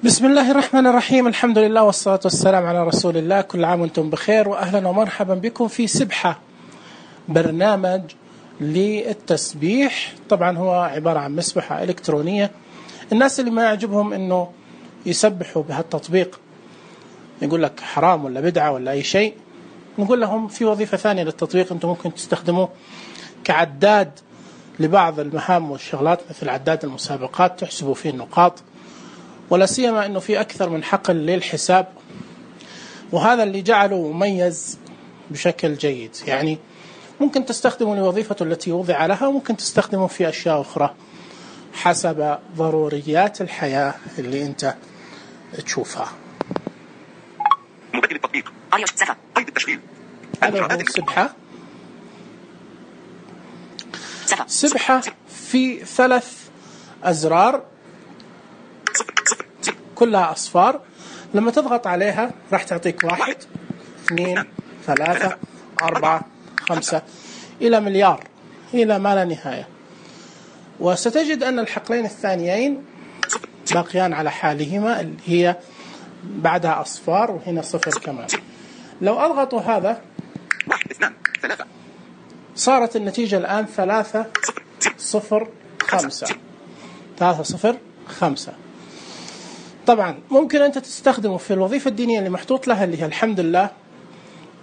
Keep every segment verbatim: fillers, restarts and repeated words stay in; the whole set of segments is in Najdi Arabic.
بسم الله الرحمن الرحيم. الحمد لله والصلاة والسلام على رسول الله. كل عام وانتم بخير، وأهلا ومرحبا بكم في سبحة، برنامج للتسبيح. طبعا هو عبارة عن مسبحة إلكترونية. الناس اللي ما يعجبهم انه يسبحوا بهالتطبيق، يقول لك حرام ولا بدعة ولا أي شيء، نقول لهم في وظيفة ثانية للتطبيق انتم ممكن تستخدموه كعداد لبعض المهام والشغلات، مثل عداد المسابقات تحسبوا فيه النقاط، ولا سيما انه في اكثر من حقل للحساب، وهذا اللي جعله مميز بشكل جيد. يعني ممكن تستخدمه لوظيفته التي وضع لها، وممكن تستخدمه في اشياء اخرى حسب ضروريات الحياة اللي انت تشوفها. مبدل التطبيق آية سبعة قيد التشغيل. هذا هو سبحة. سبحة في ثلاث أزرار كلها أصفار. لما تضغط عليها راح تعطيك واحد اثنين ثلاثة أربعة خمسة إلى مليار، إلى ما لا نهاية. وستجد أن الحقلين الثانيين باقيان على حالهما، اللي هي بعدها أصفار وهنا صفر كمان. لو أضغطوا هذا صارت النتيجة الآن ثلاثة صفر خمسة ثلاثة صفر خمسة. طبعا ممكن أنت تستخدمه في الوظيفة الدينية اللي محطوط لها، اللي هي الحمد لله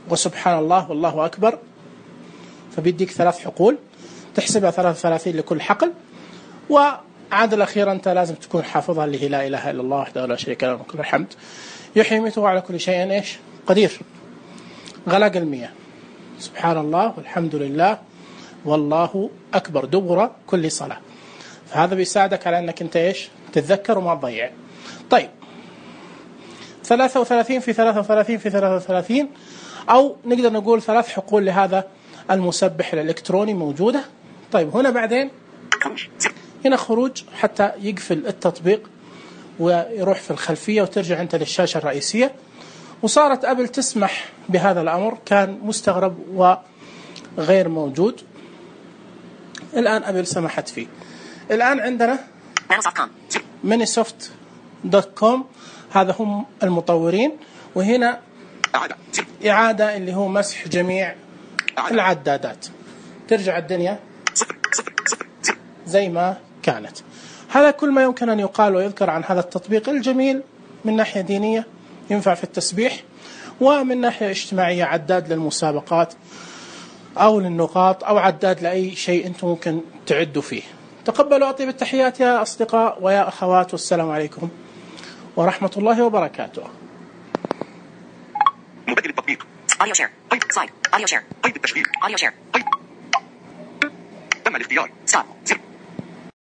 وسبحان الله والله أكبر، فبيديك ثلاث حقول تحسبها ثلاثة وثلاثين لكل حقل. وعاد الأخيرة أنت لازم تكون حافظها، اللي هي لا إله إلا الله وحده لا شريك له وله الحمد يحيي ويميت على كل شيء إيش قدير. غلاق المية، سبحان الله والحمد لله والله أكبر دبر كل صلاة. فهذا بيساعدك على أنك أنت إيش تتذكر وما تضيع. طيب ثلاثة وثلاثين في ثلاثة وثلاثين في ثلاثة وثلاثين، أو نقدر نقول ثلاث حقول لهذا المسبح الإلكتروني موجودة. طيب هنا بعدين هنا خروج حتى يقفل التطبيق ويروح في الخلفية وترجع أنت للشاشة الرئيسية. وصارت أبل تسمح بهذا الأمر، كان مستغرب وغير موجود، الآن أبل سمحت فيه. الآن عندنا مانيسوفت دوت كوم، هذا هم المطورين، وهنا إعادة اللي هو مسح جميع العدادات، ترجع الدنيا زي ما كانت. هذا كل ما يمكن أن يقال ويذكر عن هذا التطبيق الجميل من ناحية دينية، ينفع في التسبيح، ومن ناحية اجتماعية عداد للمسابقات أو للنقاط أو عداد لأي شيء أنتم ممكن تعدوا فيه. تقبلوا أطيب التحيات يا أصدقاء ويا أخوات، والسلام عليكم ورحمة الله وبركاته. مبدل التطبيق آديو شير قيد سلايد آديو شير قيد التشغيل آديو شير قيد تم الاختيار ستوب